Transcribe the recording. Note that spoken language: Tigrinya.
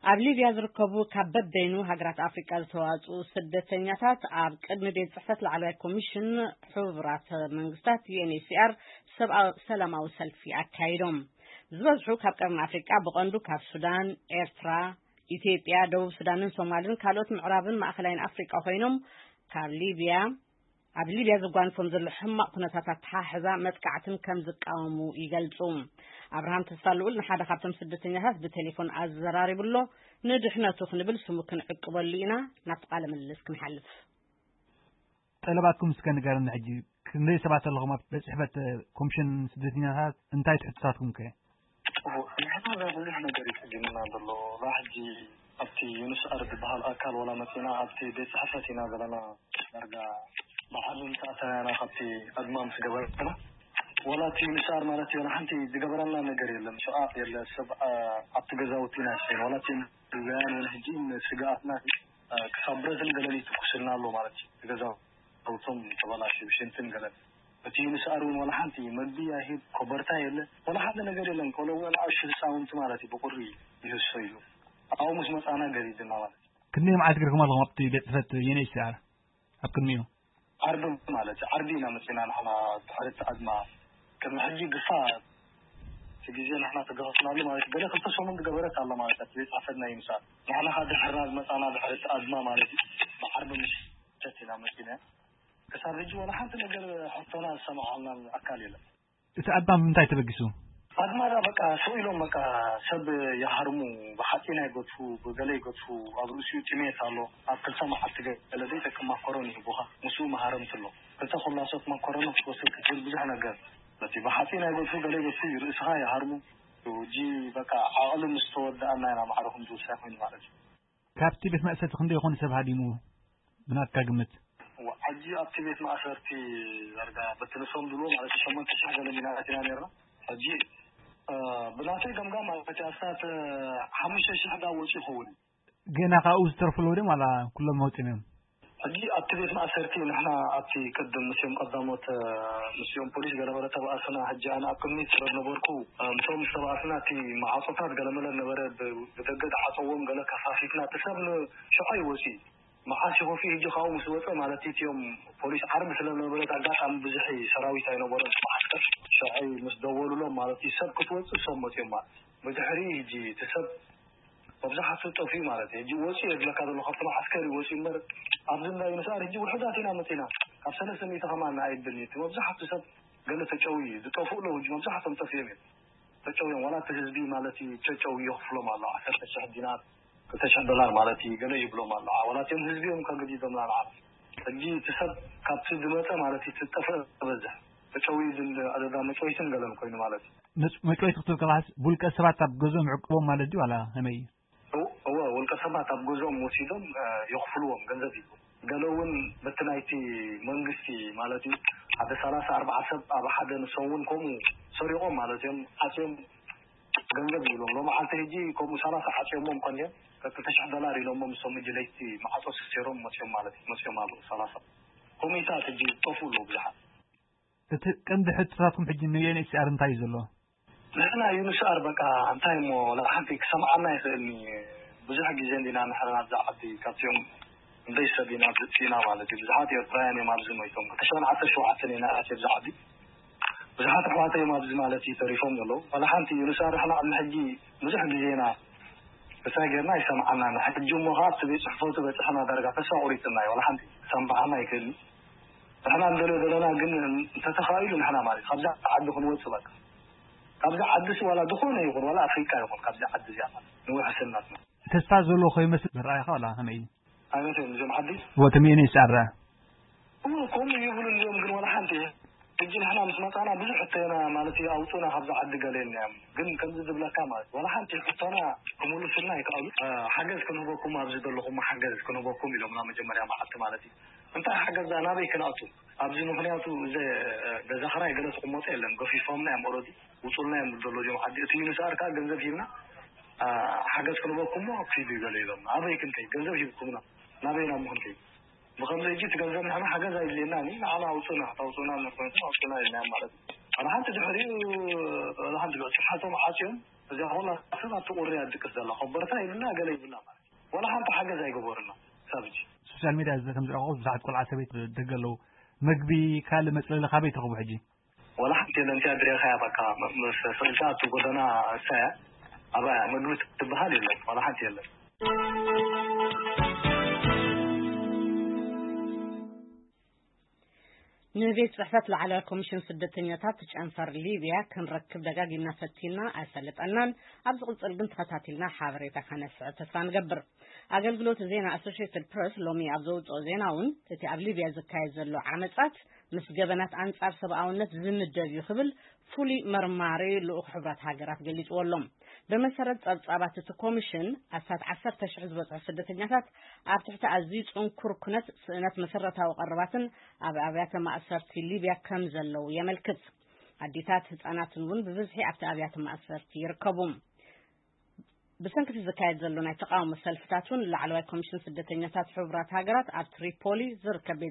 ኣብ ሊብያ ዝርከቡ ካብ በበይኑ ሃገራት ኣፍሪቃ ዝተዋጽኡ ስደተኛታት ኣብ ቅድሚ ቤት ጽሕፈት ላዕለዋይ ኮሚሽን ሕቡራት መንግስታት፣ ዩ ኤን ኤች ሲ ኣር፣ ሰብኣዊ-፣ ሰላማዊ ሰልፊ ኣካይዶም። ዝበዝሑ ካብ ቀርኒ ኣፍሪቃ፣ ብቐንዱ ካብ ሱዳን፣ ኤርትራ፣ ኢትዮጵያ፣ ደቡብ ሱዳንን ሶማልን ካልኦት ምዕራብን ማእኸላይን ኣፍሪቃ ኮይኖም፣ ካብ ሊብያ ኣብ ሊብያ ዘጓንፎም ዘሎ ሕማቕ ኩነታት ኣተሓሕዛ መጥቃዕትን ከም ዝቃወሙ ይገልጹ። ኣብርሃም ተስፋ ልኡል ንሓደ ካብቶም ስደተኛታት ብቴሌፎን ኣዘራሪቡ ኣሎ። ንድሕነቱ ክንብል ስሙ ክንዕቅበሉ ኢና። ናብቲ ቃለ ምልልስ ክንሓልፍ። ጠለባትኩም እስከ ንገረኒ። ሕጂ ክንደይ ሰባት ኣለኹም ኣብ ቤት ጽሕፈት ኮሚሽን ስደተኛታት? እንታይ ትሕትታትኩም ከ? ጽቡቕ። ንሕና ብዙሕ ነገር እዩ ጸጊሙና ዘሎ። እዛ ሕጂ ኣብቲ ዩንስኣር ዝበሃል ኣካል ዋላ መጺና ኣብቲ ቤት ጽሕፈት ኢና ዘለና። ዳርጋ ብዓቢ ምስ ኣተናና ካብቲ ኣድማ ምስ ገበረና፣ ዋላ እቲ ዩንስኣር ማለት እዩ፣ ሓንቲ ዝገበረና ነገር የለን። ሸቓቕ የለ፣ ሰብ፣ ኣ-፣ ኣብቲ ገዛውቲ ኢና ዝሸይን። ዋላ እቲ ዩንስኣር እውን ሕጂ ስግኣትና፣ ኣ፣ ክሳብ ብረትን ገለን ይትኩስልና ኣሎ ማለት እዩ። እቲ ገዛውቶም ተበላሽዩ፣ ሽንትን ገለን። እቲ ዩንስኣር እውን ዋላ ሓንቲ መግቢ ኣይህብ፣ ኮበርታ የለ፣ ዋላ ሓደ ነገር የለን። ቆልዑ እውን ኣሽቱ ህፃውንቲ ማለት እዩ፣ ብቁሪ ይህሰዩ። ኣብኡ ምስ መጻና ገዲድና ማለት እዩ። ክንደይ መዓልቲ ገርኩም ኣለኹም ኣብቲ ቤት ጽሕፈት ዩ ኤን ኤች ሲ ኣር? ኣብ ቅድሚኡ? ዓርቢ ማለት እዩ። ዓርቢ ኢና መጺና ንሕና ድሕሪ እቲ ኣድማ። ቅድሚ ሕጂ ግፋ እቲ ግዜ ንሕና ተገፈፍናሉ ማለት እዩ። ገለ ክልተ ሰሙን ዝገበረት ኣላ ማለት እዩ። ቤት ጽሕፈትና ይምሳል። ንሕና ኸኣ ድሕርና ዝመጻና ድሕሪ እቲ ኣድማ ማለት እዩ። ብዓርቢ ምሸት ኢና መጺና። ክሳብ ሕጂ ዋላ ሓንቲ ነገር ሕቶና ዝሰማዓልናን ኣካል የለን። እቲ ኣድማ ብምንታይ ተበጊሱ? ኣድማ ዳ በቃ ስቕ ኢሎም በቃ ሰብ ይሃርሙ፣ ብሓጺን ይገድፉ፣ ብገለ ይገድፉ፣ ኣብ ርእሲኡ ጥሜት ኣሎ። ኣብ ክልተ መዓልቲ ገለ ዘይጠቅም ማኮሮኒ ይህቡኻ፣ ምስኡ መሃረምቲ ኣሎ። ክልተ ኮላሶት ማኮሮኒ ክትወስድ ክትብል ብዙሕ ነገር። በቲ ብሓጺን ይገድፉ፣ ገለ ይገድፉ፣ ርእስኻ ይሃርሙ። ሕጂ በቃ ዓቕሊ ምስ ተወድኣና ኢና ማዕረ ክንዲ ውሳይ ኮይኑ ማለት እዩ። ካብቲ ቤት ማእሰርቲ ክንደይ ይኾን ሰብ ሃዲሙ ብናትካ ግምት? ዋ፣ ሕጂ ኣብቲ ቤት ማእሰርቲ ዳርጋ በቲ ንሶም ዝብልዎ ማለት ሸሞንተ ሽሕ ገለ ሚናት ኢና ነርና። ሕጂ፣ እ፣ ብናተይ ገምጋም ማለት እዩ ኣስታት፣ እ፣ ሓሙሽተ ሽሕ ዳ ወፂኡ ይኸውን። ገና ካብኡ ዝተርፉ ኣለዉ ድዮም ዋላ ኩሎም ወፂኦም እዮም? ሕጂ ኣብቲ ቤት ማእሰርቲ ንሕና ኣብቲ ቅድም ምስኦም ቀዳሞት፣ እ፣ ምስኦም ፖሊስ ገለመለ ተባእስና። ሕጂ ኣነ ኣብ ቅድሚት ስለ ዝነበርኩ፣ እ፣ ምስኦም ምስ ተባእስና እቲ ማዕጾታት ገለመለ ነበረ ብ-፣ ብደገ ዝዓጸዎም ገለ ከፋፊትና እቲ ሰብ ን-፣ ሽዑ እዩ ወፂኡ። መዓስ ይኸፍኡ? ሕጂ ካብኡ ምስ ወጸ ማለት እዩ። እቲኦም ፖሊስ ዓርቢ ስለ ዝነበረት ኣጋጣሚ ብዙሕ ሰራዊት ኣይነበሮን። መዓስከር ሽዑ ምስ ደወሉሎም ማለት እዩ ሰብ ክትወጽእ ሰብ መፅኦም ማለት እዩ። ብድሕሪ ሕጂ እቲ ሰብ መብዛሕትኡ ጠፊኡ ማለት እዩ። ሕጂ ወፂኡ እየ ዝብለካ ዘሎ ካብቲ መዓስከር እዩ ወፂኡ እምበር ኣብዚ እንዳ ዩንስኣር ሕጂ ውሑዳት ኢና መፂና። ካብ ሰለስተ ሚእቲ ከማን ኣይብልን እዩ። እቲ መብዛሕትኡ ሰብ ገለ ተጨውዩ እዩ። ዝጠፍኡ ኣለዉ ሕጂ መብዛሕትኦም ጠፊኦም እዮም። ተጨውዮም ዋላ እቲ ህዝቢ ማለት እዩ ተጨውዩ ይኸፍሎም ኣሎ። ዓሰርተ ሽሕ ዲናር፣ ክልተ ሽሕ ዶላር ማለት እዩ ገለ ይብሎም ኣሎ። ዋላ እቲኦም ህዝቢ እዮም ከግዲዶምና ንዓና። ሕጂ እቲ ሰብ ካብቲ ዝመጸ ማለት እዩ ዝጠፍእ ዝበዝሕ። ተጨውዩ ዝን-፣ ኣደዳ መጨወይትን ገለን ኮይኑ ማለት እዩ። መጭ-፣ መጭወይቲ ክትብል ከለኻስ ውልቀ ሰባት ኣብ ገዝኦም ይዕቅቦም ማለት ድዩ ዋላ ከመይ እዩ? እው-፣ እወ፣ ውልቀ ሰባት ኣብ ገዝኦም ወሲዶም፣ እ፣ የኽፍልዎም፣ ገንዘብ ይህቡ። ገለ እውን በቲ ናይቲ መንግስቲ ማለት እዩ ሓደ ሰላሳ ኣርባዓ ሰብ ኣብ ሓደ ንሶም እውን ከምኡ ሰሪቖም ማለት እዮም ዓፅዮም ገንዘብ ይብሎም። ሎመዓልቲ ሕጂ ከምኡ ሰላሳ ዓፅዮሞም ቀንዮም ክልተ ሽሕ ዶላር ኢሎሞም ንሶም ሕጂ ለይቲ ማዕፆ ሰሲሮም መፅዮም ማለት እዩ። መፅዮም ኣለዉ ሰላሳ። ኮሚታት ሕጂ ዝጠፍኡ ኣለዉ ብዙሓት። እቲ ቀንዲ ሕቶታትኩም ሕጂ ን ዩ ኤን ኤች ሲ ኣር እንታይ እዩ ዘሎ? ንሕና ዩ ኤን ኤች ሲ ኣር በቃ እንታይ እሞ ወላ ሓንቲ ክሰምዓና ይኽእልኒ። ብዙሕ ግዜ እንዲና ንሕና ኣብዛ ዓዲ ካብዚኦም ክንደይ ሰብ ኢና ዝጥፊእና ማለት እዩ። ብዙሓት ኤርትራውያን እዮም ኣብዚ ሞይቶም። ክልተ ሽሕን ዓሰርተ ሸውዓተን ኢና ኣትየ ኣብዛ ዓዲ። ብዙሓት ኣሕዋተይ እዮም ኣብዚ ማለት እዩ ተሪፎም ዘለዉ። ዋላ ሓንቲ ዩ ኤን ኤች ሲ ኣር ንሕና ቅድሚ ሕጂ ብዙሕ ግዜ ኢና እንታይ ጌርና ኣይሰምዓናን። ሕጂ እሞ ኸዓ ኣብቲ ቤት ጽሕፈቱ በጺሕና ዳርጋ ተስፋ ቁሪጽና እዩ። ዋላ ሓንቲ ክሰምዓና ኣይክእልን። ንሕና ንደልዮ ዘለና ግን እንተተኻኢሉ ንሕና ማለት ካብዛ ዓዲ ክንወጽእ በቃ። ካብዛ ዓዲ ሲ ዋላ ዝኾነ ይኹን ዋላ ኣፍሪቃ ይኹን ካብዛ ዓዲ እዚኣ ማለት ንውሕስነትና። ተስፋ ዘሎ ከይመስል ዝረኣየኻ ዋላ ከመይ እዩ? ኣይመስልን እዞም ዓዲ። ወትም ዩ ኤን ኤች ሲ ኣር እሞ ከምኡ ይብሉ እንዲኦም ግን ዋላ ሓንቲ ሕጂ ንሕና ምስ መጻና ብዙሕ ሕቶና ማለት እዩ ኣውጹና ካብዛ ዓዲ ገለ የልናዮም። ግን ከምዚ ዝብለካ ማለት ዋላ ሓንቲ ሕቶና ክምልሱልና ኣይከኣሉ። እ፣ ሓገዝ ክንህበኩም ኣብዚ ዘለኹም ሓገዝ ክንህበኩም ኢሎምና መጀመርያ መዓልቲ ማለት እዩ። እንታይ ሓገዝ ዳ ናበይ ክንኣቱ? ኣብዚ ምኽንያቱ እዚ፣ እ፣ ገዛ ኽራይ ገለ ዝቕመጦ የለን። ገፊፎምና እዮም ኦረዲ ውጹልና እዮም ዘሎ እዚኦም ዓዲ። እቲ ዩ ኤን ኤች ሲ ኣር ከኣ ገንዘብ ሂብና፣ እ፣ ሓገዝ ክንህበኩም እሞ ኪዱ ይበሉ ኢሎም። ኣበይ ክንከይድ? ገንዘብ ሂብኩምና ናበይና እሞ ክንከይድ? ብኸምዚ ሕጂ እቲ ገንዘብ ንሕና ሓገዝ ኣይድልየናን እዩ። ንዓና ኣውፁና፣ ታውፁና ምርኮንኩም ኣውፁና ኢልናዮም ማለት እዩ። ዋላ ሓንቲ ድሕሪኡ፣ ዋላ ሓንቲ ልዑል ስርሓቶም ዓፅዮም፣ እዚኣ ኩላ ሰብ ኣብቲ ቁሪ እያ ትድቅስ ዘላ። ኮበርታ ይብልና፣ ገለ ይብልና ማለት እዩ። ዋላ ሓንቲ ሓገዝ ኣይገበሩና ክሳብ ሕጂ። ሶሻል ሚድያ እዚ ከም ዝረኣኹ ብዙሓት ቆልዓ ሰበይቲ ደገ ኣለዉ። መግቢ፣ ካልእ መፅለሊ ካበይ ትረኽቡ ሕጂ? ዋላ ሓንቲ የለን። እቲኣ ድሬኻያ በቃ መ-፣ ምስ ስቕልካ ኣብቲ ጎደና እሳ እያ። ኣባያ መግቢ ትበሃል የለን። ዋላ ሓንቲ የለን። ንቤት ጽሕፈት ላዕለዋይ ኮሚሽን ስደተኛታት ጨንፈር ሊብያ ክንረክብ ደጋጊምና ፈቲና ኣይሰለጠናን። ኣብ ዝቕጽል ግን ተኸታቲልና ሓበሬታ ከነስዕብ ተስፋ ንገብር። ኣገልግሎት ዜና ኣሶሽየትድ ፕረስ ሎሚ ኣብ ዘውጽኦ ዜና እውን እቲ ኣብ ሊብያ ዝካየድ ዘሎ ዓመጻት ምስ ገበናት ኣንጻር ሰብኣውነት ዝምደብ እዩ ክብል ፍሉይ መርማሪ ልኡኽ ሕቡራት ሃገራት ገሊጽዎ ኣሎ። ብመሰረት ጸብጻባት እቲ ኮሚሽን ኣስታት ዓሰርተ ሽሕ ዝበጽሑ ስደተኛታት ኣብ ትሕቲ ኣዝዩ ጽንኩር ኩነት ስእነት መሰረታዊ ቀረባትን ኣብ ኣብያተ ማእሰርቲ ሊብያ ከም ዘለዉ የመልክት። ኣዴታት ህጻናትን እውን ብብዝሒ ኣብቲ ኣብያተ ማእሰርቲ ይርከቡ። ብሰንኪ እቲ ዝካየድ ዘሎ ናይ ተቓውሞ ሰልፍታት እውን ላዕለዋይ ኮሚሽን ስደተኛታት ሕቡራት ሃገራት ኣብ ትሪፖሊ ዝርከብ ቤት